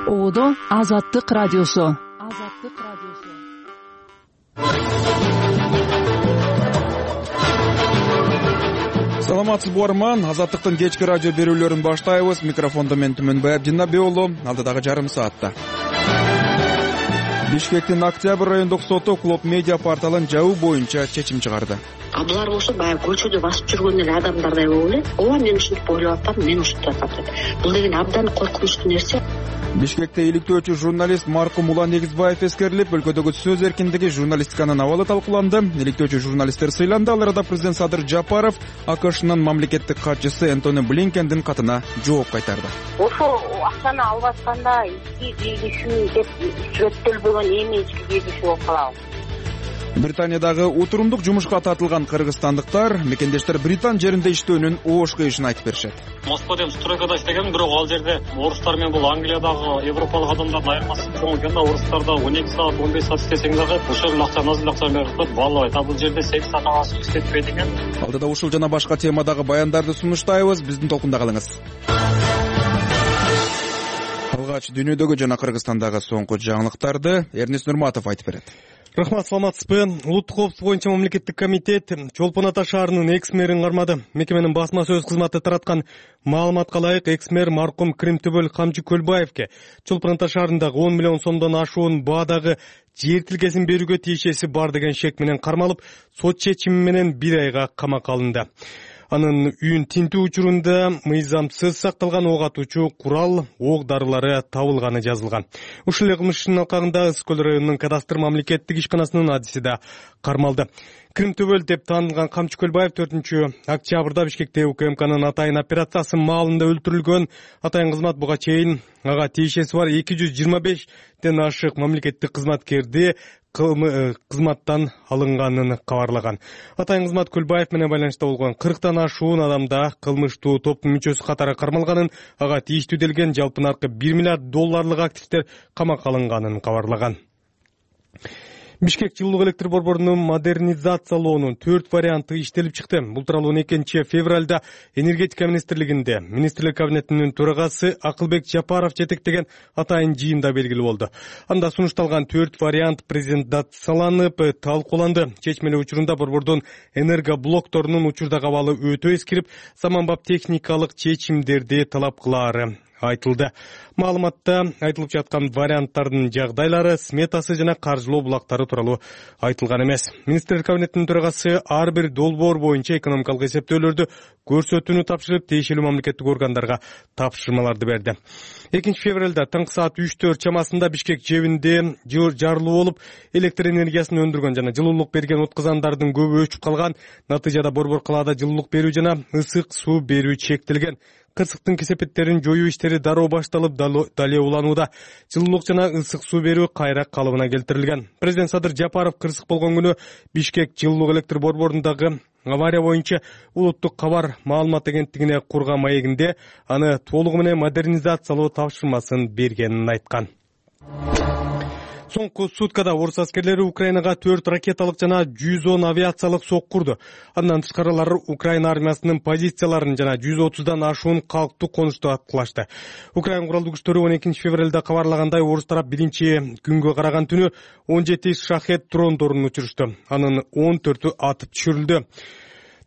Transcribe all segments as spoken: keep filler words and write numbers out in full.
Оодо Азаттык радиосу. Азаттык радиосу. Саламатсызбы угарман, Азаттыктын кечки радио берүүлөрүн баштайбыз. Микрофондо мен Түмөнбай Абдинабек уулу. Алдыдагы жарым саатта Бишкектин Октябрь райондук соту Клоп Медиа порталын жабуу боюнча чечим чыгарды. А булар болсо баягы көчөдө басып жүргөн эле адамдардай болуп эле. Ооба, мен ушинтип ойлоп атам, мен ушинтип атам. Бул деген абдан коркунучтуу нерсе. Бишкекте иликтөөчү журналист маркум Улан Негизбаев эскерилип, өлкөдөгү сөз эркиндиги, журналистиканын абалы талкууланды. Иликтөөчү журналисттер сыйланды. Ал арада президент Садыр Жапаров АКШнын мамлекеттик катчысы Энтони Блинкендин катына жооп кайтарды. Ошо акчаны алып атканда ички жегишүү деп сүрөттөлбөгөн эми ички жегишүү болуп калабы? Британиядагы утурумдук жумушка тартылган кыргызстандыктар мекендештер Британ жеринде иштөөнүн оош кыйышын айтып беришет. Москвада эми стройкада иштегем, бирок ал жерде орустар менен бул Англиядагы европалык адамдардын айырмасы чоң экен да. Орустарда он эки саат, он беш саат иштесең дагы ошол эле акчаны азыр акча берип коет, баалабайт. А бул жерде сегиз саат ашык иштетпейт экен. Алдыда ушул жана башка темадагы баяндарды сунуштайбыз. Биздин толкунда калыңыз. Алгач дүйнөдөгү жана Кыргызстандагы соңку жаңылыктарды Эрнис Нурматов айтып берет. Рахмат, саламатсызбы? Улуттук коопсуздук боюнча мамлекеттик комитет Чолпон Ата шаарынын экс-мэрин кармады. Мекеменин басма сөз кызматы тараткан маалыматка ылайык, экс-мэр маркум Кримтөбөл Камчы Көлбаевке Чолпон Ата шаарындагы он миллион сомдон ашуун баадагы жер тилкесин берүүгө тиешеси бар деген шек менен кармалып, сот чечими менен бир айга камакка алынды. Анын үйүн тинтүү учурунда мыйзамсыз сакталган ок атуучу курал, ок дарылары табылганы жазылган. Ушул эле кылмыш ишинин алкагында Ысык көл районунун кадастр мамлекеттик ишканасынын адиси да кармалды. Кримтөбөл деп таанылган Камчы Көлбаев төртүнчү октябрда Бишкекте УКМКнын атайын операциясы маалында өлтүрүлгөн. Атайын кызмат буга чейин ага тиешеси бар эки жүз жыйырма бештен ашык мамлекеттик кызматкерди кызматтан алынганын кабарлаган. Атайын кызмат Көлбаев менен байланышта болгон кырктан ашуун адамда кылмыштуу топтун мүчөсү катары кармалганын, ага тийиштүү делген жалпы наркы бир миллиард долларлык активдер камакка алынганын кабарлаган. Бишкек жылуулук электр борборунун модернизациялоонун төрт варианты иштелип чыкты. Бул тууралуу он экинчи февралда энергетика министрлигинде министрлер кабинетинин төрагасы Акылбек Жапаров жетектеген атайын жыйында белгилүү болду. Анда сунушталган төрт вариант презентацияланып, талкууланды. Чечмелөө учурунда борбордун энергоблокторунун учурдагы абалы өтө эскирип, заманбап техникалык чечимдерди талап кылаары айтылды. Маалыматта айтылып жаткан варианттардын жагдайлары, сметасы жана каржылоо булактары тууралуу айтылган эмес. Министрлер кабинетинин төрагасы ар бир долбоор боюнча экономикалык эсептөөлөрдү көрсөтүүнү тапшырып, тиешелүү мамлекеттик органдарга тапшырмаларды берди. экинчи февралда таңкы саат үчтөр чамасында Бишкек жебинде жарылуу болуп, электр энергиясын өндүргөн жана жылуулук берген отказандардын көбү өчүп калган. Натыйжада борбор калаада жылуулук берүү жана ысык суу берүү чектелген. Кырсыктын кесепеттерин жоюу иштери дароо башталып, дале уланууда. Жылуулук жана ысык суу берүү кайра калыбына келтирилген. Президент Садыр Жапаров кырсык болгон күнү Бишкек жылуулук электр борборундагы авария боюнча улуттук кабар маалымат агенттигине курган маегинде аны толугу менен модернизациялоо тапшырмасын бергенин айткан. Соңку суткада орус аскерлери Украинага төрт ракеталык жана жүз он авиациялык сок курду. Андан тышкарылар Украина армиясынын позицияларын жана жүз отуздан ашуун калктуу конушту аткылашты. Украина куралдуу күчтөрү он экинчи февралда кабарлагандай, орус тарап биринчи күнгө караган түнү он жети шахет дрондорун учурушту. Анын он төртү атып түшүрүлдү.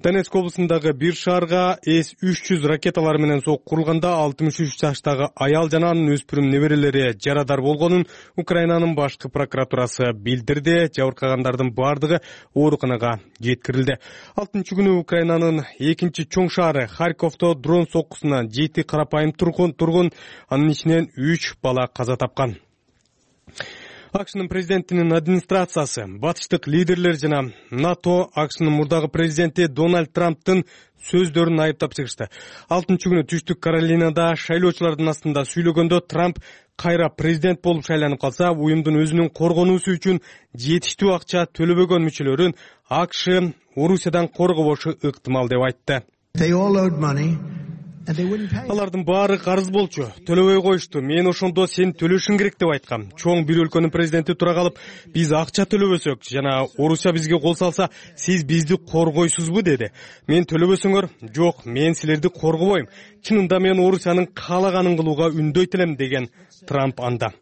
Донецк облусундагы бир шаарга эс үч жүз ракеталар менен сок курулганда алтымыш үч жаштагы аял жана анын өспүрүм неберелери жарадар болгонун Украинанын башкы прокуратурасы билдирди. Жабыркагандардын бардыгы ооруканага жеткирилди. алтынчы күнү Украинанын экинчи чоң шаары Харьковдо дрон соккусунан жети карапайым тургун, тургун анын ичинен үч бала каза тапкан. АКШнын президентинин администрациясы, батыштык лидерлер жана НАТО АКШнын мурдагы президенти Дональд Трамптын сөздөрүн айыптап чыгышты. алтынчы күнү Түштүк Каролинада шайлоочулардын астында сүйлөгөндө Трамп кайра президент болуп шайланып калса, уюмдун өзүнүн коргонуусу үчүн жетиштүү акча төлөбөгөн мүчөлөрүн АКШ Орусиядан коргобошу ыктымал деп айтты. They all owed money Алардын баары карыз болчу, төлөбөй коюшту. Мен ошондо сен төлөшүң керек деп айткам. Чоң бир өлкөнүн президенти тура калып, биз акча төлөбөсөк жана Орусия бизге кол салса, сиз бизди коргойсузбу деди. Мен төлөбөсөңөр, жок, мен силерди коргобойм. Чынында мен Орусиянын каалаганын кылууга үндөйт элем деген Трамп анда.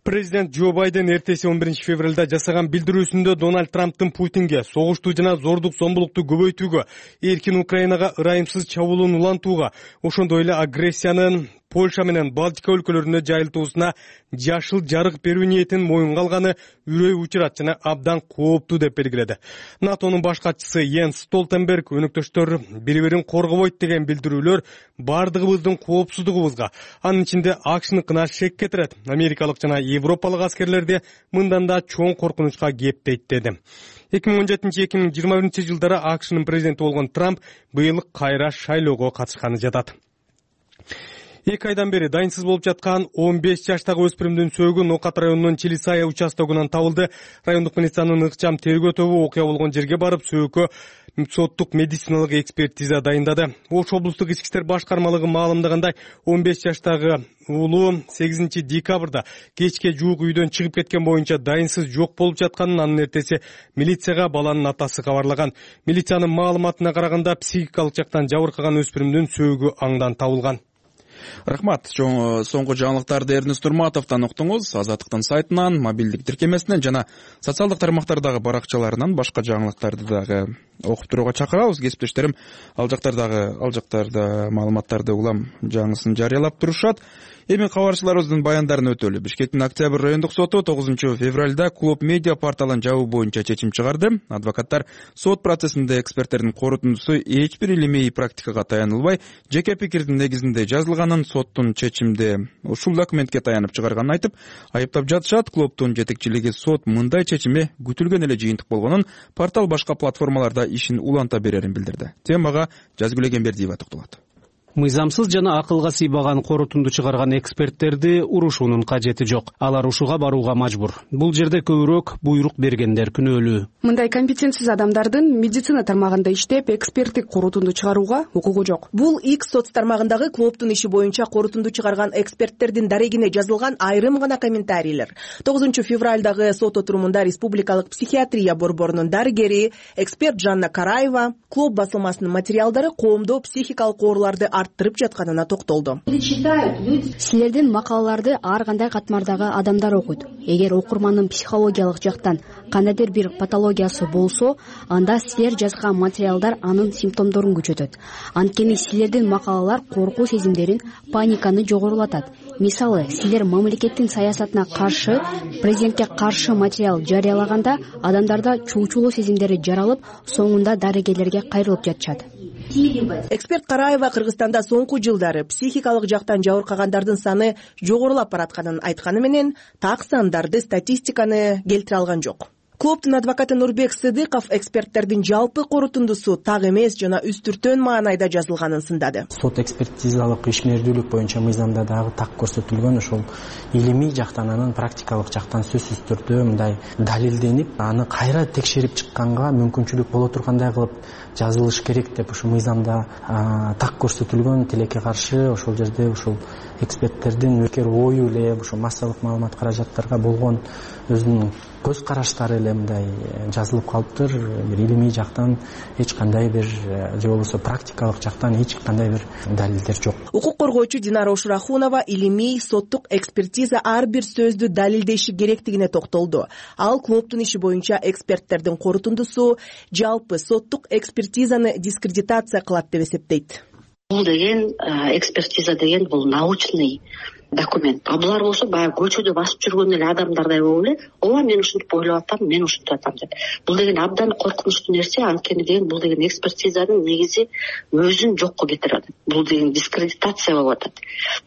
Президент Джо Байден эртеси он биринчи февралда жасаган билдирүүсүндө Дональд Трамптын Путинге согушту жана зордук зомбулукту көбөйтүүгө, эркин Украинага ырайымсыз чабуулун улантууга, ошондой эле агрессиянын Польша менен Балтика өлкөлөрүнө жайылтуусуна жашыл жарык берүү ниетин моюнга алганы үрөй учурат жана абдан кооптуу деп белгиледи. НАТОнун баш катчысы Йенс Столтенберг өнөктөштөр бири-бирин коргобойт деген билдирүүлөр бардыгыбыздын коопсуздугубузга, анын ичинде АКШныкына шек кетирет. Америкалык жана европалык аскерлерди мындан да чоң коркунучка кептейт деди. эки миң он жетинчи эки миң жыйырма биринчи жылдары АКШнын президенти болгон Трамп быйыл кайра шайлоого катышканы жатат. Эки айдан бери дайынсыз болуп жаткан он беш жаштагы өспүрүмдүн сөөгү Нокат районунун Чилисая участогунан табылды. Райондук милициянын ыкчам тергөө тобу окуя болгон жерге барып, сөөгкө соттук медициналык экспертиза дайындады. Ош облустук ички иштер башкармалыгы маалымдагандай, он беш жаштагы уулу сегизинчи декабрда кечке жуук үйдөн чыгып кеткен боюнча дайынсыз жок болуп жатканын анын эртеси милицияга баланын атасы кабарлаган. Милициянын маалыматына караганда, психикалык жактан жабыркаган өспүрүмдүн сөөгү аңдан табылган. Рахмат. Чоң соңку жаңылыктарды Эрнест Турматовдон уктуңуз. Азаттыктын сайтынан, мобилдик тиркемесинен жана социалдык тармактардагы баракчаларынан башка жаңылыктарды дагы окуп турууга чакырабыз. Кесиптештерим ал жактардагы ал жактарда маалыматтарды улам жаңысын жарыялап турушат. Эми кабарчыларыбыздын баяндарын өтөлү. Бишкектин Октябрь райондук соту тогузунчу февралда Клуб Медиа порталын жабуу боюнча чечим чыгарды. Адвокаттар сот процессинде эксперттердин корутундусу эч бир илимий практикага таянылбай, жеке пикирдин негизинде жазылганын, соттун чечимде ушул документке таянып чыгарганын айтып, айыптап жатышат. Клубдун жетекчилиги сот мындай чечими күтүлгөн эле жыйынтык болгонун, портал башка платформаларда ишин уланта берерин билдирди. Темага Жазгүл Эгембердиева токтолот. Мыйзамсыз жана акылга сыйбаган корутунду чыгарган эксперттерди урушуунун кажети жок. Алар ушуга барууга мажбур. Бул жерде көбүрөөк буйрук бергендер күнөөлүү. Мындай компетенсиз адамдардын медицина тармагында иштеп, эксперттик корутунду чыгарууга укугу жок. Бул X соц тармагындагы клубтун иши боюнча корутунду чыгарган эксперттердин дарегине жазылган айрым гана комментарийлер. тогузунчу февралдагы сот отурумунда Республикалык психиатрия борборунун дарыгери, эксперт Жанна Караева клуб басылмасынын материалдары коомдо психикалык ооруларды арттырып жатканына токтолду. Силердин макалаларды ар кандай катмардагы адамдар окуйт. Эгер окурмандын психологиялык жактан кандайдыр бир патологиясы болсо, анда силер жазган материалдар анын симптомдорун күчөтөт. Анткени силердин макалалар коркуу сезимдерин, паниканы жогорулатат. Мисалы, силер мамлекеттин саясатына каршы, президентке каршы материал жарыялаганда адамдарда чуучулуу сезимдери жаралып, соңунда дарыгерлерге кайрылып жатышат. Эксперт Караева Кыргызстанда соңку жылдары психикалык жактан жабыркагандардын саны жогорулап баратканын айтканы менен, так сандарды, статистиканы келтире алган жок. Клубтун адвокаты Нурбек Сыдыков эксперттердин жалпы корутундусу так эмес жана үстүртөн маанайда жазылганын сындады. Сот экспертизалык ишмердүүлүк боюнча мыйзамда дагы так көрсөтүлгөн, ошол илимий жактан, анын практикалык жактан сөзсүз түрдө мындай далилденип, аны кайра текшерип чыкканга мүмкүнчүлүк боло тургандай кылып жазылыш керек деп ушул мыйзамда так көрсөтүлгөн. Тилекке каршы ошол жерде ушул эксперттердин өкер ою эле, ушул массалык маалымат каражаттарга болгон өзүнүн көз караштары эле мындай жазылып калыптыр. Бир илимий жактан эч кандай бир же болбосо практикалык жактан эч кандай бир далилдер жок. Укук коргоочу Динара Ошурахунова илимий соттук экспертиза ар бир сөздү далилдеши керектигине токтолду. Ал клубтун иши боюнча эксперттердин корутундусу жалпы соттук экспертизаны дискредитация кылат деп эсептейт. Бул деген экспертиза деген бул научный документ. А булар болсо баягы көчөдө басып жүргөн эле адамдардай болуп эле, ооба мен ушинтип ойлоп атам, мен ушинтип атам деп. Бул деген абдан коркунучтуу нерсе, анткени деген бул деген экспертизанын негизи өзүн жокко кетирип атат. Бул деген дискредитация болуп атат.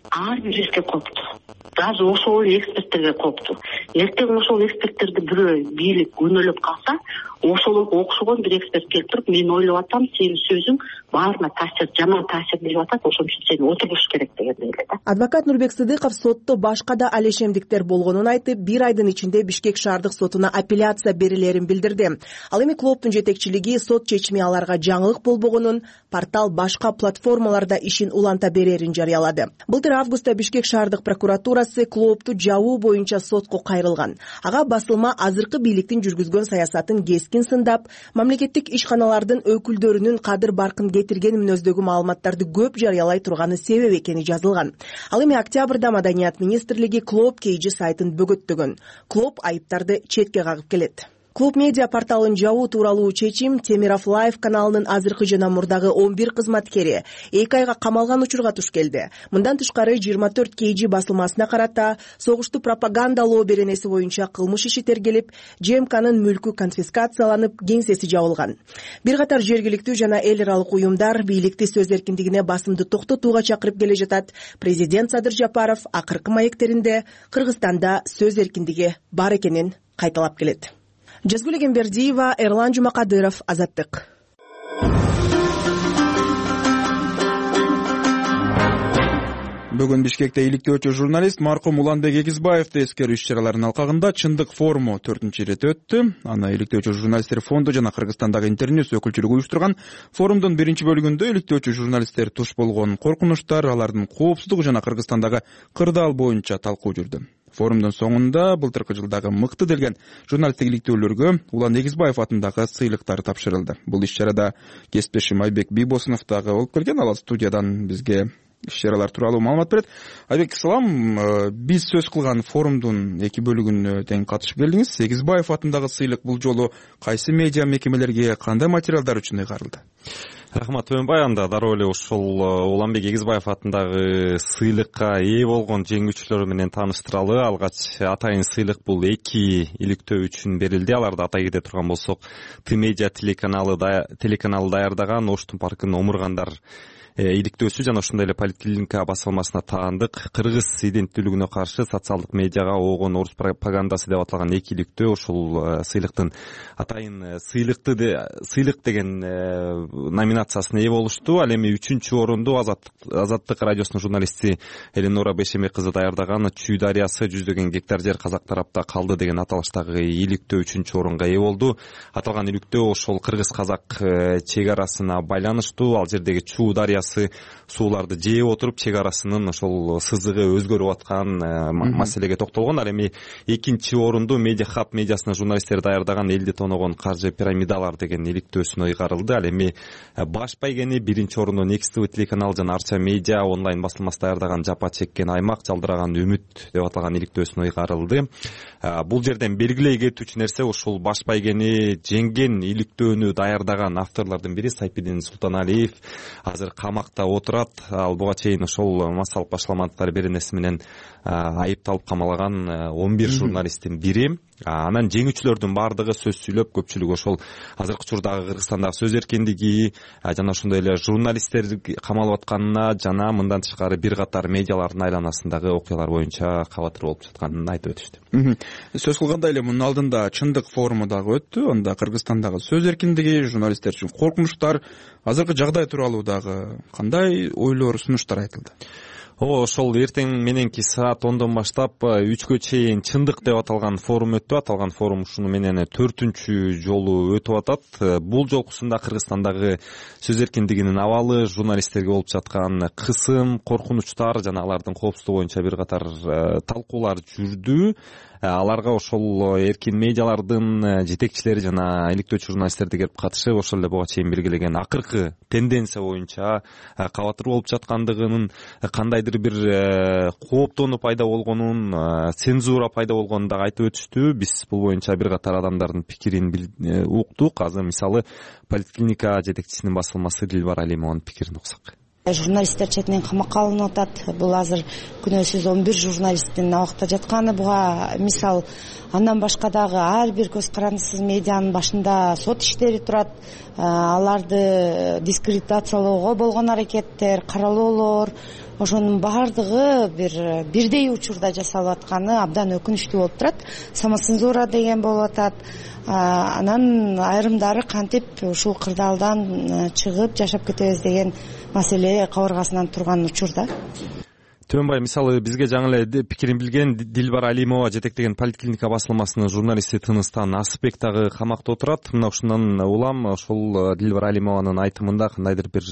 Ар бир жерге кооптуу. Даже ошол эксперттерге кооптуу. Эртең ошол эксперттерди бирөө бийлик өнөлөп калса, ошол окшогон бир эксперт келип туруп, мен ойлоп атам, сенин сөзүң баарына таасир, жаман таасир берип атат, ошон үчүн сен отуруш керек дегендей эле да. Адвокат Нурбек Сыдыков сотто башка да алешемдиктер болгонун айтып, бир айдын ичинде Бишкек шаардык сотуна апелляция берилерин билдирди. Ал эми клубдун жетекчилиги сот чечими аларга жаңылык болбогонун, портал башка платформаларда ишин уланта берерин жарыялады. Былтыр августта Бишкек шаардык прокуратурасы клубду жабуу боюнча сотко кайрылган. Ага басылма азыркы бийликтин жүргүзгөн саясатын кескин сындап, мамлекеттик ишканалардын өкүлдөрүнүн кадыр баркын кетирген мүнөздөгү маалыматтарды көп жарыялай турганы себеп экени жазылган. Ал эми октябрда Маданият министрлиги Клуб Кейжи сайтын бөгөттөгөн. Клуб айыптарды четке кагып келет. Клуб медиа порталын жабуу тууралуу чечим Темиров Лайв каналынын азыркы жана мурдагы он бир кызматкери эки айга камалган учурга туш келди. Мындан тышкары жыйырма төрт Кейжи басылмасына карата согушту пропагандалоо беренеси боюнча кылмыш иши тергелип, ЖМКнын мүлкү конфискацияланып, кеңсеси жабылган. Бир катар жергиликтүү жана эл аралык уюмдар бийликти сөз эркиндигине басымды токтотууга чакырып келе жатат. Президент Садыр Жапаров акыркы маектеринде Кыргызстанда сөз эркиндиги бар экенин кайталап келет. Жазгүл Эгембердиева, Эрлан Жумакадыров, Азаттык. Бүгүн Бишкекте иликтөөчү журналист маркум Уланбек Эгизбаевди эскерүү иш-чараларынын алкагында Чындык форуму төртүнчү ирет өттү. Аны иликтөөчү журналисттер фонду жана Кыргызстандагы Интерньюс өкүлчүлүгү уюштурган. Форумдун биринчи бөлүгүндө иликтөөчү журналисттер туш болгон коркунучтар, алардын коопсуздугу жана Кыргызстандагы кырдаал боюнча талкуу жүрдү. Форумдун соңунда былтыркы жылдагы мыкты делген журналисттик иликтөөлөргө Улан Эгизбаев атындагы сыйлыктар тапшырылды. Бул иш-чарада кесиптешим Айбек Бийбосунов дагы болуп келген. Ал студиядан бизге иш-чаралар тууралуу маалымат берет. Айбек, салам. Биз сөз кылган форумдун эки бөлүгүнө тең катышып келдиңиз. Эгизбаев атындагы сыйлык бул жолу кайсы медиа мекемелерге, кандай материалдар үчүн ыйгарылды? Рахмат Төөнбай, анда дароо эле ушул Уланбек Эгизбаев атындагы сыйлыкка ээ болгон жеңүүчүлөр менен тааныштыралы. Алгач атайын сыйлык бул эки иликтөө үчүн берилди. Аларды атай кете турган болсок, Ты медиа телеканалы телеканалы даярдаган Оштун паркын омургандар иликтөөсү жана ошондой эле Поликлиника басылмасына таандык кыргыз иденттүүлүгүнө каршы социалдык медиага оогон орус пропагандасы деп аталган эки иликтөө ушул сыйлыктын атайын сыйлыкты сыйлык деген номинациясына ээ болушту. Ал эми үчүнчү орунду Азаттык радиосунун журналисти Эленора Бейшемек кызы даярдаган Чүй дарыясы жүздөгөн гектар жер казак тарапта калды деген аталыштагы иликтөө үчүнчү орунга ээ болду. Аталган иликтөө ошол кыргыз казак чек арасына байланыштуу. Ал жердеги Чүй дарыясы сууларды жээп отуруп чек арасынын ошол сызыгы өзгөрүп аткан маселеге токтолгон. Ал эми экинчи орунду Медиа Хаб медиасынын журналисттери даярдаган элди тоногон каржы пирамидалар деген иликтөөсүнө ыйгарылды. Ал эми баш байгени биринчи орунду Next ти ви телеканал жана Арча медиа онлайн басылмасы даярдаган Жапа чеккен аймак жалдыраган үмүт деп аталган иликтөөсүнө ыйгарылды. Бул жерден белгилей кетүүчү нерсе ушул баш байгени жеңген иликтөөнү даярдаган авторлордун бири Сайпидин Султаналиев азыр камакта отурат. Ал буга чейин ошол массалык башаламандыктар беренеси менен айыпталып камалган он бир журналисттин бири. Анан жеңүүчүлөрдүн баардыгы сөз сүйлөп, көпчүлүгү ошол азыркы учурдагы Кыргызстандагы сөз эркиндиги жана ошондой эле журналисттер камалып атканына жана мындан тышкары бир катар медиалардын айланасындагы окуялар боюнча кабатыр болуп жатканын айтып өтүштү. Сөз кылгандай эле мунун алдында Чындык форуму дагы өттү. Анда Кыргызстандагы сөз эркиндиги, журналисттер үчүн коркунучтар, азыркы жагдай тууралуу дагы кандай ойлор, сунуштар айтылды? О, ошол эртең мененки саат ондон баштап үчкө чейин Чындык деп аталган форум өттү. Аталган форум ушуну менен төртүнчү жолу өтүп атат. Бул жолкусунда Кыргызстандагы сөз эркиндигинин абалы, журналисттерге болуп жаткан кысым, коркунучтар жана алардын коопсуздугу боюнча бир катар талкуулар жүрдү. Аларга ошол эркин медиалардын жетекчилери жана иликтөөчү журналисттерди келип катышып, ошол эле буга чейин белгилеген акыркы тенденция боюнча кабатыр болуп жаткандыгынын, кандайдыр бир кооптонуу пайда болгонун, цензура пайда болгонун дагы айтып өтүштү. Биз бул боюнча бир катар адамдардын пикирин уктук. Азыр мисалы Поликлиника жетекчисинин басылмасы Дилбар Алимованын пикирин уксак. Журналисттер четинен камакка алынып атат. Бул азыр күнөөсүз он бир журналисттин абакта жатканы. Буга мисал андан башка дагы ар бир көз карандысыз медианын башында сот иштери турат. Аларды дискредитациялоого болгон аракеттер, каралоолор, ошонун баардыгы бир бирдей учурда жасалып атканы абдан өкүнүчтүү болуп турат. Самоцензура деген болуп атат. Анан айрымдары кантип ушул кырдаалдан чыгып жашап кетебиз деген маселе кабыргасынан турган учурда. Төөнбай, мисалы бизге жаңы эле пикирин билген Дилбар Алимова жетектеген Политклиника басылмасынын журналисти Тыныстан Асыпбек дагы камакта отурат. Мына ушундан улам ошол Дилбар Алимованын айтымында кандайдыр бир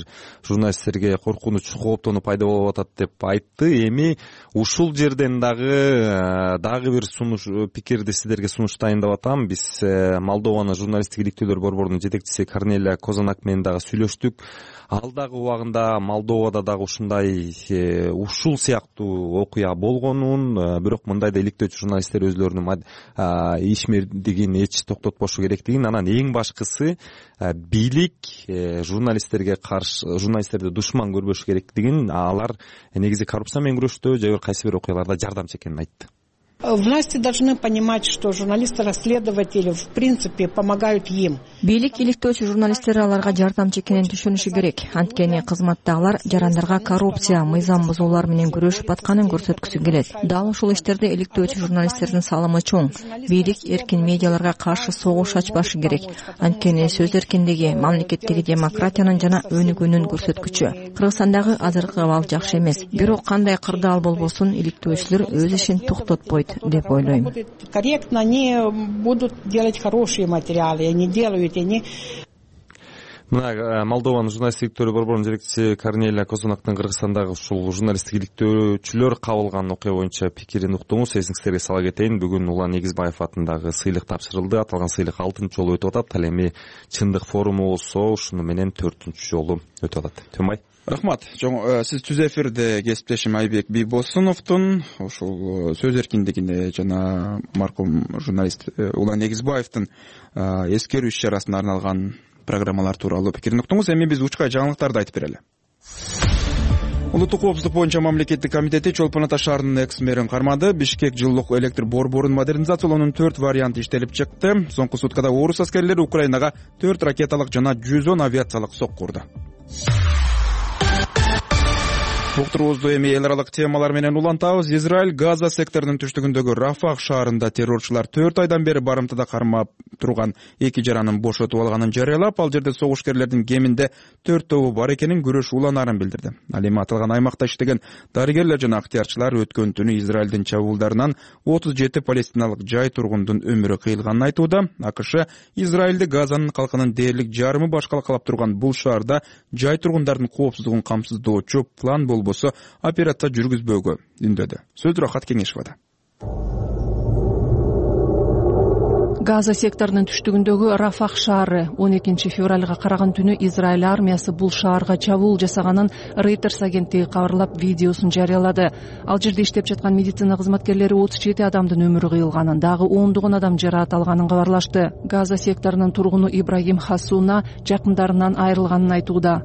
журналисттерге коркунуч, кооптонуу пайда болуп атат деп айтты. Эми ушул жерден дагы дагы бир сунуш пикирди сиздерге сунуштайын деп атам. Биз Молдованын журналисттик иликтөөлөр борборунун жетекчиси Корнелия Козанак менен дагы сүйлөштүк. Алдагы убагында Молдовада дагы ушундай ушул сыяктуу окуя болгонун, бирок мындай да иликтөөчү журналисттер өзлөрүнүн ишмердигин эч токтотпошу керектигин, анан эң башкысы бийлик журналисттерге каршы, журналисттерди душман көрбөшү керектигин, алар негизи коррупция менен күрөштө же бир кайсы бир окуяларда жардамчы экенин айтты. Власти должны понимать, что журналисты-расследователи в принципе помогают им. Бийлик иликтөөчү журналисттер аларга жардамчы экенин түшүнүшү керек. Анткени кызматтагылар жарандарга коррупция, мыйзам бузуулар менен күрөшүп атканын көрсөткүсү келет. Дал ушул иштерде иликтөөчү журналисттердин салымы чоң. Бийлик эркин медиаларга каршы согуш ачпашы керек. Анткени сөз эркиндиги мамлекеттеги демократиянын жана өнүгүүнүн көрсөткүчү. Кыргызстандагы азыркы абал жакшы эмес. Бирок кандай кырдаал болбосун, иликтөөчүлөр өз ишин токтотпойт деп ойлойм. Корректно, они будут делать хорошие материалы, они делают, они... Мына Молдованын журналисттик иликтөөлөр борборунун жетекчиси Корнелия Козанактын Кыргызстандагы ушул журналисттик иликтөөчүлөр кабыл алган окуя боюнча пикирин уктуңуз. Эсиңиздерге сала кетейин, бүгүн Улан Эгизбаев атындагы сыйлык тапшырылды. Аталган сыйлык алтынчы жолу өтүп атат. Ал эми чындык форуму болсо ушуну менен төртүнчү жолу өтүп атат. Төөнбай. Рахмат. Сиз түз эфирде кесиптешим Айбек Бийбосуновдун ушул сөз эркиндигине жана маркум журналист Улан Эгизбаевдин эскерүү иш чарасына арналган программалар тууралуу пикирин уктуңуз. Эми биз учкай жаңылыктарды айтып берели. Улуттук коопсуздук боюнча мамлекеттик комитети Чолпон Ата шаарынын экс мэрин кармады. Бишкек жылуулук электр борборун модернизациялоонун төрт варианты иштелип чыкты. Соңку суткада орус аскерлери Украинага төрт ракеталык жана жүз он авиациялык сокку урду. Уктуруубузду эми эл аралык темалар менен улантабыз. Израиль Газа секторунун түштүгүндөгү Рафах шаарында террорчулар төрт айдан бери барымтада кармап турган эки жаранын бошотуп алганын жарыялап, ал жерде согушкерлердин кеминде төрт тобу бар экенин күрөш уланаарын билдирди. Ал эми аталган аймакта иштеген дарыгерлер жана ыктыярчылар өткөн түнү Израилдин чабуулдарынан отуз жети палестиналык жай тургундун өмүрү кыйылганын айтууда. АКШ Израилди Газанын калкынын дээрлик жарымы башкалкалап турган бул шаарда жай тургундардын коопсуздугун камсыздоочу план болбосо операция жүргүзбөөгө үндөдү. Сөз Рахат Кеңешовада. Газа секторунун түштүгүндөгү Рафах шаары он экинчи февралга караган түнү Израиль армиясы бул шаарга чабуул жасаганын Reuters агенттиги кабарлап видеосун жарыялады. Ал жерде иштеп жаткан медицина кызматкерлери отуз жети адамдын өмүрү кыйылганын, дагы ондогон адам жараат алганын кабарлашты. Газа секторунун тургуну Ибрагим Хасуна жакындарынан айрылганын айтууда.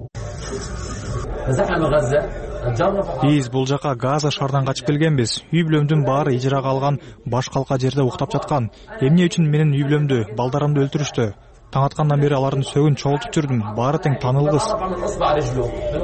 Биз бул жака Газа шаардан качып келгенбиз. Үй бүлөмдүн баары ижарага алган баш калка жерде уктап жаткан. Эмне үчүн менин үй бүлөмдү, балдарымды өлтүрүштү? Таң аткандан бери алардын сөгүн чогултуп жүрдүм. Баары тең таанылгыс.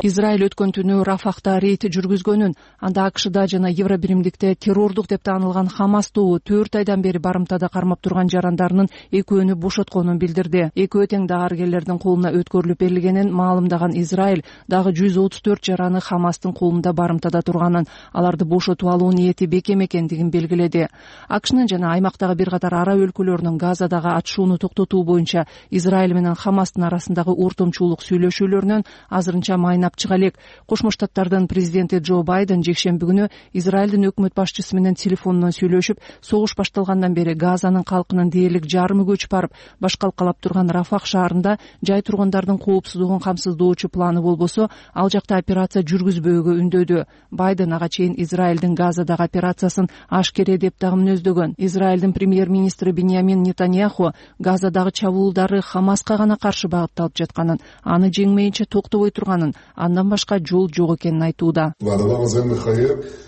Израиль өткөн түнү Рафахта рейд жүргүзгөнүн, анда АКШда жана Евробиримдикте террордук деп таанылган Хамас тобу төрт айдан бери барымтада кармап турган жарандарынын экөөнү бошотконун билдирди. Экөө тең дарыгерлердин колуна өткөрүлүп берилгенин маалымдаган Израиль дагы жүз отуз төрт жараны Хамастын колунда барымтада турганын, аларды бошотуп алуу ниети бекем экендигин белгиледи. АКШнын жана аймактагы бир катар араб өлкөлөрүнүн Газадагы атышууну токтотуу боюнча Израиль менен Хамастын арасындагы ортомчулук сүйлөшүүлөрүнөн азырынча майнап чыга элек. Кошмо Штаттардын президенти Джо Байден жекшемби күнү Израилдин өкмөт башчысы менен телефондон сүйлөшүп, согуш башталгандан бери Газанын калкынын дээрлик жарымы көчүп барып, башкалкалап турган Рафах шаарында жай тургундардын коопсуздугун камсыздоочу планы болбосо, ал жакта операция жүргүзбөөгө үндөдү. Байден ага чейин Израилдин Газадагы операциясын ашкере деп дагы мүнөздөгөн. Израилдин премьер-министри Биньямин Нетаньяху Газадагы чабуулдар Хамаска гана каршы багытталып жатканын, аны жеңмейинче токтобой турганын, андан башка жол жок экенин айтууда.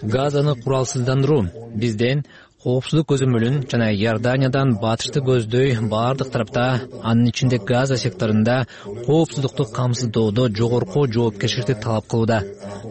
Газаны куралсыздандыруу бизден коопсуздук көзөмөлүн жана Иорданиядан батышты көздөй баардык тарапта, анын ичинде Газа секторунда коопсуздукту камсыздоодо жогорку жоопкерчиликти талап кылууда.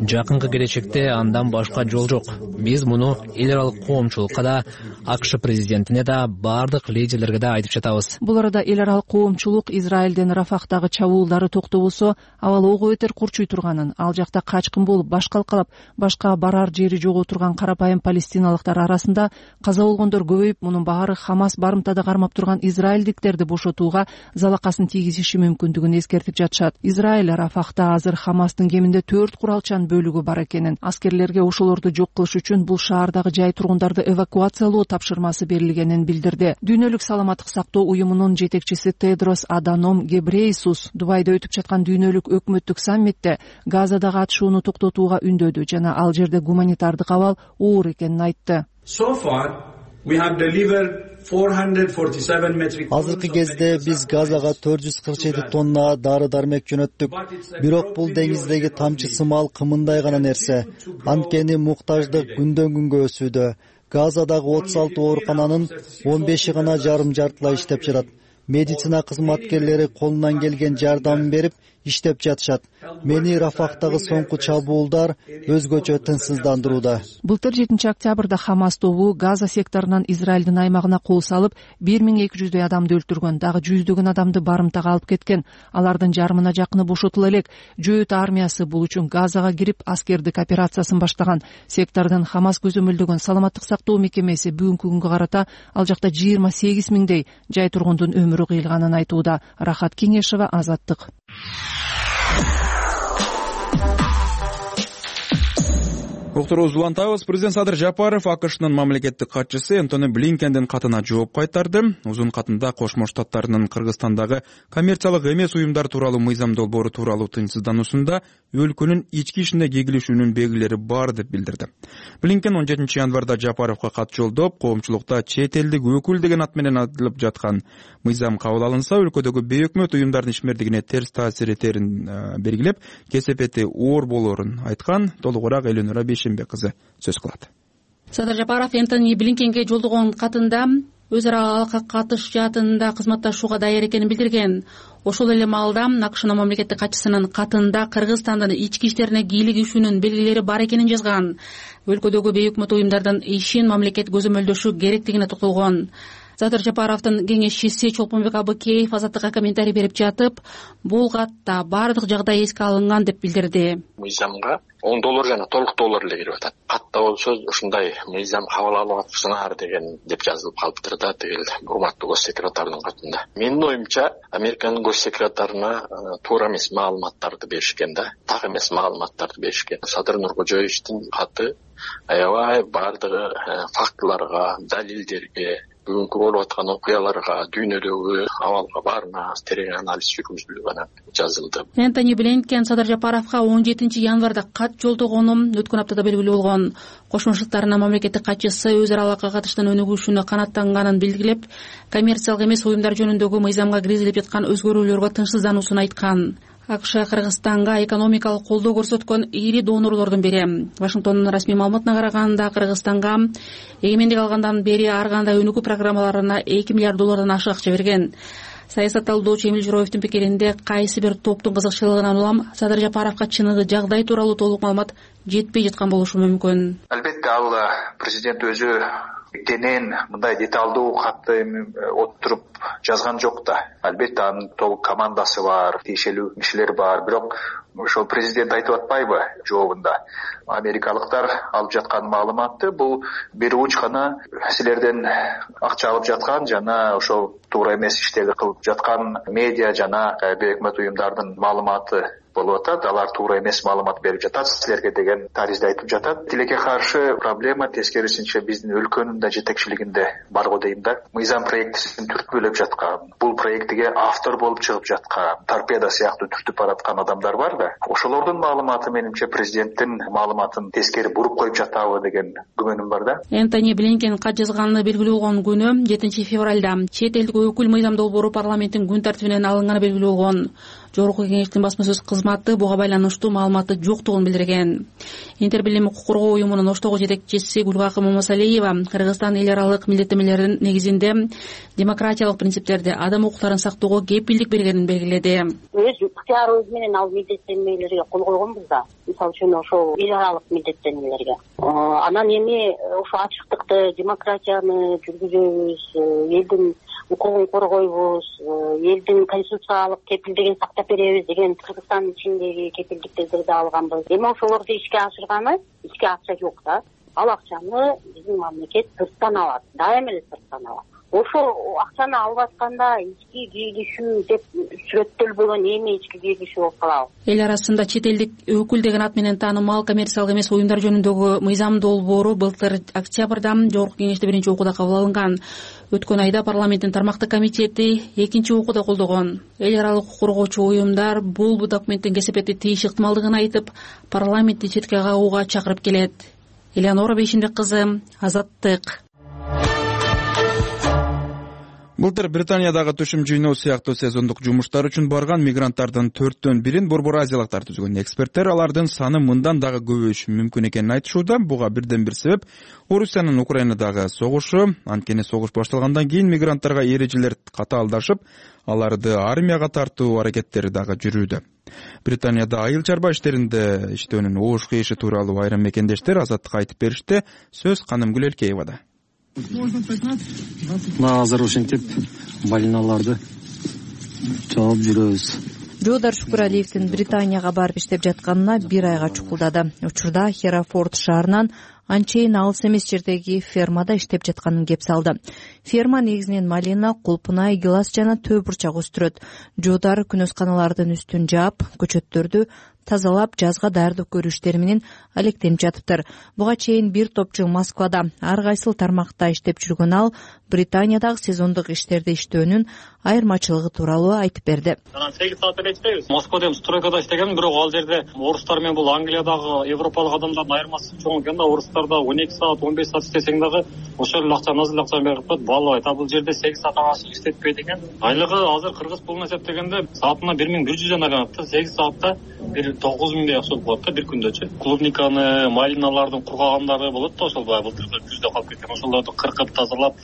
Жакынкы келечекте андан башка жол жок. Биз муну эл аралык коомчулукка да, АКШ президентине да, баардык лидерлерге да айтып жатабыз. Бул арада эл аралык коомчулук Израилдин Рафахтагы чабуулдары токтобосо, абал ого бетер курчуй турганын, ал жакта качкын болуп баш калкалап, башка барар жери жок отурган карапайым палестиналыктар арасында каза болгондор көбөйүп, мунун баары Хамас барымтада кармап турган израилдиктерди бошотууга залакасын тийгизиши мүмкүндүгүн эскертип жатышат. Израиль Рафахта азыр Хамастын кеминде төрт куралчан бөлүгү бар экенин, аскерлерге ошолорду жок кылыш үчүн бул шаардагы жай тургундарды эвакуациялоо тапшырмасы берилгенин билдирди. Дүйнөлүк саламаттык сактоо уюмунун жетекчиси Тедрос Аданом Гебрейсус Дубайда өтүп жаткан дүйнөлүк өкмөттүк саммитте Газадагы атышууну токтотууга үндөдү жана ал жерде гуманитардык абал оор экенин айтты. Азыркы кезде биз Газага төрт жүз кырк жети тонна дары дармек жөнөттүк. Бирок бул деңиздеги тамчы сымал кымындай гана нерсе. Анткени муктаждык күндөн күнгө өсүүдө. Газадагы отуз алты оорукананын он беши гана жарым жартылай иштеп жатат. Медицина кызматкерлери колунан келген жардамын берип иштеп жатышат. Мени Рафахтагы соңку чабуулдар өзгөчө тынчсыздандырууда. Былтыр жетинчи октябрда Хамас тобу Газа секторунан Израилдин аймагына кол салып, бир миң эки жүздөй адамды өлтүргөн, дагы жүздөгөн адамды барымтага алып кеткен. Алардын жарымына жакыны бошотула элек. Жөөт армиясы бул үчүн Газага кирип аскердик операциясын баштаган. Сектордон Хамас көзөмөлдөгөн саламаттык сактоо мекемеси бүгүнкү күнгө карата ал жакта жыйырма сегиз миңдей жай тургундун өмүрү кыйылганын айтууда. Рахат Кеңешева, Азаттык. Уктурубузду улантабыз. Президент Садыр Жапаров АКШнын мамлекеттик катчысы Энтони Блинкендин катына жооп кайтарды. Узун катында Кошмо Штаттарынын Кыргызстандагы коммерциялык эмес уюмдар тууралуу мыйзам долбоору тууралуу тынчсыздануусунда өлкөнүн ички ишине кегилишүүнүн белгилери бар деп билдирди. Блинкен он жетинчи январда Жапаровго кат жолдоп, коомчулукта чет элдик өкүл деген ат менен аталып жаткан мыйзам кабыл алынса, өлкөдөгү бейөкмөт уюмдардын ишмердигине терс таасир этерин белгилеп, кесепети оор болоорун айткан. Толугураак Эленора Бейшембек кызы сөз кылат. Садыр Жапаров Энтони Блинкенге жолдогон катында өз ара катыш жаатында кызматташууга даяр экенин билдирген. Ошол эле маалда АКШнын мамлекеттик катчысынын катында Кыргызстандын ички иштерине кийлигишүүнүн белгилери бар экенин жазган. Өлкөдөгү бейөкмөт уюмдардын ишин мамлекет көзөмөлдөшү керектигине токтолгон. Садыр Жапаровдун кеңешчиси Чолпонбек Абыкеев Азаттыкка комментарий берип жатып, бул катта баардык жагдай эске алынган деп билдирди. Мыйзамга он доллар жана толук доллар эле кирип атат. Катта болсо ушундай мыйзам кабыл алып атсыңар деген деп жазылып калыптыр да, тигил урматтуу гос секретардын катында. Менин оюмча, Американын гос секретарына туура эмес маалыматтарды беришкен да, так эмес маалыматтарды беришкен. Садыр Нуркожоевичтин каты аябай баардыгы фактыларга, далилдерге, бүгүнкү болуп аткан окуяларга, дүйнөдөгү абалга баарына терең анализ жүргүзүлүп анан жазылды. Энтони Блинкен Садыр Жапаровго он жетинчи январда кат жолдогонун өткөн аптада белгилүү болгон. Кошмо Штаттарынын мамлекеттик катчысы өз ара алака катыштын өнүгүшүнө канааттанганын билдирип, коммерциялык эмес уюмдар жөнүндөгү мыйзамга киргизилип жаткан өзгөрүүлөргө тынчсыздануусун айткан. АКШ Кыргызстанга экономикалык колдоо көрсөткөн ири донорлордун бири. Вашингтондун расмий маалыматына караганда, Кыргызстанга эгемендик алгандан бери ар кандай өнүгүү программаларына эки миллиард доллардан ашык акча берген. Саясат талдоочу Эмил Журоевдин пикиринде, кайсы бир топтун кызыкчылыгынан улам Садыр Жапаровго чыныгы жагдай тууралуу толук маалымат жетпей жаткан болушу мүмкүн. Албетте ал президент өзү кенен мындай деталдуу катты отуруп жазган жок да. Албетте анын толук командасы бар, тиешелүү кишилер бар, бирок ошол президент айтып атпайбы жообунда? Америкалыктар алып жаткан маалыматты бул бир уч гана силерден акча алып жаткан жана ошол туура эмес иштерди кылып жаткан медиа жана бейөкмөт уюмдардын маалыматы болуп атат. Алар туура эмес маалымат берип жатат силерге деген таризди айтып жатат. Тилекке каршы проблема тескерисинче биздин өлкөнүн да жетекчилигинде бар го дейм да. Мыйзам проектисин түрткүлөп жаткан, бул проектиге автор болуп чыгып жаткан, торпеда сыяктуу түртүп бараткан адамдар бар да. Ошолордун маалыматы менимче президенттин маалыматын тескери буруп коюп жатабы деген күмөнүм бар да. Энтони Блинкен кат жазганы белгилүү болгон күнү жетинчи февралда чет элдик өкүл мыйзам долбоору парламенттин күн тартибинен алынганы белгилүү болгон. Жогорку Кеңештин басма сөз кызматы буга байланыштуу маалыматы жоктугун билдирген. Интербилим укук коргоо уюмунун Оштогу жетекчиси Гүлгакы Момосалиева Кыргызстан эл аралык милдеттенмелердин негизинде демократиялык принциптерди, адам укуктарын сактоого кепилдик бергенин белгиледи. Өз ыктыярыбыз менен ал милдеттенмелерге кол койгонбуз да. Мисалы үчүн ошол эл аралык милдеттенмелерге. Анан эми ошо ачыктыкты, демократияны жүргүзөбүз, элдин укугун коргойбуз, элдин конституциялык кепилдигин сактап беребиз деген Кыргызстандын ичиндеги кепилдиктерди алганбыз. Эми ошолорду ишке ашырганы, ишке акча жок да. Ал акчаны биздин мамлекет сырттан алат, дайыма эле сырттан алат. Ошол акчаны алып атканда ички кийлишүү деп сүрөттөлбөгөн эми ички кийлишүү болуп калабы. Эл арасында чет элдик өкүл деген ат менен таанымал коммерциялык эмес уюмдар жөнүндөгү мыйзам долбоору былтыр октябрда Жогорку Кеңеште биринчи окууда кабыл алынган. Өткөн айда парламенттин тармактык комитети экинчи окууда колдогон. Эл аралык укук коргоочу уюмдар бул документтин кесепетти тийиш ыктымалдыгын айтып, парламентти четке кагууга чакырып келет. Элеонора Бейшимбек кызы, Азаттык. Былтыр Британиядагы түшүм жыйноо сыяктуу сезондук жумуштар үчүн барган мигранттардын төрттөн бирин борбор азиялыктар түзгөн. Эксперттер алардын саны мындан дагы көбөйүшү мүмкүн экенин айтышууда. Буга бирден бир себеп Орусиянын Украинадагы согушу. Анткени согуш башталгандан кийин мигранттарга эрежелер катаалдашып, аларды армияга тартуу аракеттери дагы жүрүүдө. Британияда айыл чарба иштеринде иштөөнүн оош кыйышы тууралуу айрым мекендештер Азаттыкка айтып беришти. Сөз Канымгүл Элкеевада. Мына азыр ушинтип балиналарды чалып жүрөбүз. Жоодар Шукуралиевдин Британияга барып иштеп жатканына бир айга чукулдады. Учурда Херафорд шаарынан анчейин алыс эмес жердеги фермада иштеп жатканын кеп салды. Ферма негизинен малина, кулпунай, гилас жана төө бурчак өстүрөт. Жоодар күнөсканалардын үстүн жаап, көчөттөрдү тазалап, жазга даярдап көрүү иштери менен алектенип жатыптыр. Буга чейин бир топ жыл Москвада ар кайсыл тармакта иштеп жүргөн ал Британиядагы сезондук иштерде иштөөнүн айырмачылыгы тууралуу айтып берди. Анан сегиз саат эле иштейбиз. Москвада эми стройкада иштегем, бирок ал жерде орустар менен бул Англиядагы европалык адамдардын айырмасы чоң экен да. Орустарда он эки саат, он беш саат иштесең дагы ошол эле акчаны азыр акча берип коет, баалабайт. А бул жерде сегиз сааттан ашык иштетпейт экен. Айлыгы азыр кыргыз пулуна эсептегенде саатына бир миң бир жүз жана алат да. сегиз саатта бир тогуз миңдей акча болот да бир күндөчү. Клубниканы, малиналардын кургагандары болот да, ошол баягы былтыр күздө калып кеткен. Ошолорду кыркып тазалап,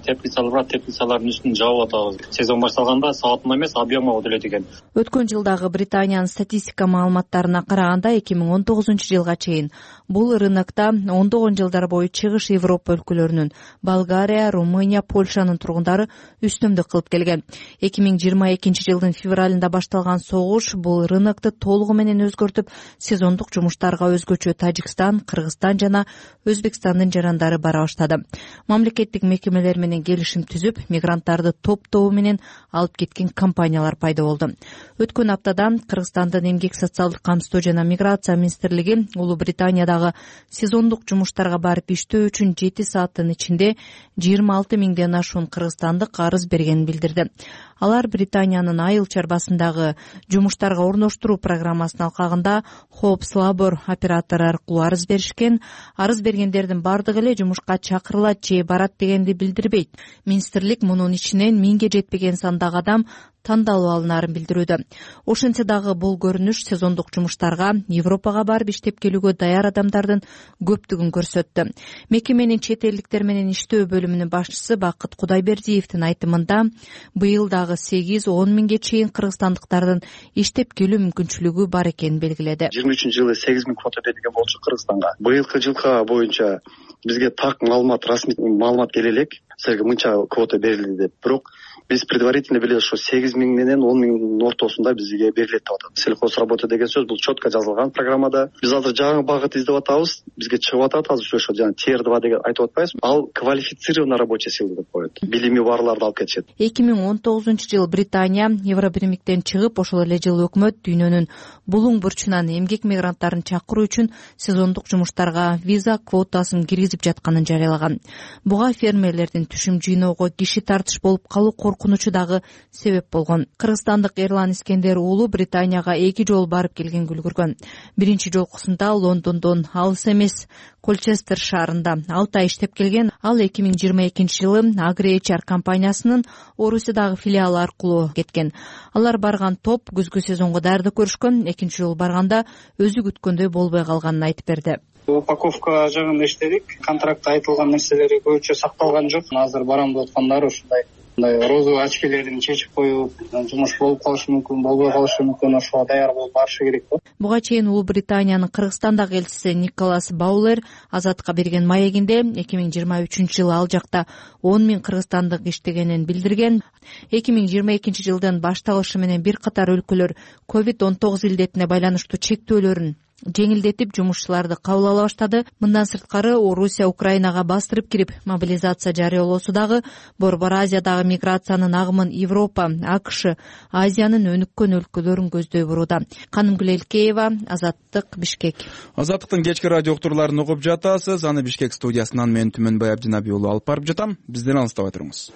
теплицалар бар, теплицалардын үстүн жаап атабыз. Сезон башталганда саатына эмес, объемга төлөйт экен. Өткөн жылдагы Британиянын статистика маалыматтарына караганда эки миң он тогузунчу жылга чейин бул рынокто ондогон жылдар бою чыгыш Европа өлкөлөрүнүн Болгария, Румыния, Польшанын тургундары үстөмдүк кылып келген. эки миң жыйырма экинчи жылдын февралында башталган согуш бул рынокту толугу менен өзгөртүп, сезондук жумуштарга өзгөчө Тажикстан, Кыргызстан жана Өзбекстандын жарандары бара баштады. Мамлекеттик мекемелер менен келишим түзүп, мигранттарды топ-тобу менен алып кеткен компаниялар пайда болду. Өткөн аптадан Кыргызстандын эмгек социалдык камсыздоо жана миграция министрлиги Улуу Британиядагы сезондук жумуштарга барып иштөө үчүн жети сааттын ичинде жыйырма алты миңден ашуун кыргызстандык арыз бергенин билдирди. Алар Британиянын айыл чарбасындагы жумуштарга орноштуруу программасынын алкагында Hopes Labor оператору аркылуу арыз беришкен. Арыз бергендердин бардыгы эле жумушка чакырылат же барат дегенди билдирбейт. Министрлик мунун ичинен миңге жетпеген сандагы адам тандалып алынаарын билдирүүдө. Ошентсе дагы бул көрүнүш сезондук жумуштарга Европага барып иштеп келүүгө даяр адамдардын көптүгүн көрсөттү. Мекеменин чет элдиктер менен иштөө бөлүмүнүн башчысы Бакыт Кудайбердиевдин айтымында быйыл дагы сегиз он миңге чейин кыргызстандыктардын иштеп келүү мүмкүнчүлүгү бар экенин белгиледи. жыйырма үчүнчү жылы сегиз миң квота берилген болчу Кыргызстанга. Быйылкы жылка боюнча бизге так маалымат, расмий маалымат келе элек, силерге мынча квота берилди деп. Бирок биз предварительно билебиз, ошо сегиз миң менен он миңдин ортосунда бизге берилет деп атат. Сельхозработа деген сөз бул четко жазылган программада. Биз азыр жаңы багыт издеп атабыз. Бизге чыгып атат азыр ошо жана Тир два деген айтып атпайбызбы? Ал квалифицированный рабочая сила деп коет. Билими барларды алып кетишет. эки миң он тогузунчу жыл Британия Евробиримдиктен чыгып, ошол эле жыл өкмөт дүйнөнүн булуң бурчунан эмгек мигранттарын чакыруу үчүн сезондук жумуштарга виза квотасын киргизип жатканын жарыялаган. Буга фермерлердин түшүм жыйноого киши тартыш болуп калуу коркунучу коркунучу дагы себеп болгон. Кыргызстандык Эрлан Искендер уулу Британияга эки жолу барып келгенге үлгүргөн. Биринчи жолкусунда Лондондон алыс эмес Колчестер шаарында алты ай иштеп келген. Ал эки миң жыйырма экинчи жылы Агри-эйч ар компаниясынын Орусиядагы филиалы аркылуу кеткен. Алар барган топ күзгү сезонго даярдык көрүшкөн. Экинчи жолу барганда өзү күткөндөй болбой калганын айтып берди. Упаковка жагында иштедик. Контрактта айтылган нерселери көбүнчө сакталган жок. Азыр барам деп аткандар ушундай мындай розовый очкилерин чечип коюп, жумуш болуп калышы мүмкүн, болбой калышы мүмкүн, ошого даяр болуп барышы керек да. Буга чейин Улуу Британиянын Кыргызстандагы элчиси Николас Баулер Азаттыкка берген маегинде эки миң жыйырма үчүнчү жылы ал жакта он миң кыргызстандык иштегенин билдирген. эки миң жыйырма экинчи жылдын башталышы менен бир катар өлкөлөр ковид он тогуз илдетине байланыштуу чектөөлөрүн жеңилдетип жумушчуларды кабыл ала баштады. Мындан сырткары Орусия Украинага бастырып кирип мобилизация жарыялоосу дагы Борбор Азиядагы миграциянын агымын Европа, АКШ, Азиянын өнүккөн өлкөлөрүн көздөй бурууда. Канымгүл Элкеева, Азаттык, Бишкек. Азаттыктын кечки радио уктурууларын угуп жатасыз. Аны Бишкек студиясынан мен Түмөнбай Абдинабий уулу алып барып жатам. Бизден алыстабай туруңуз.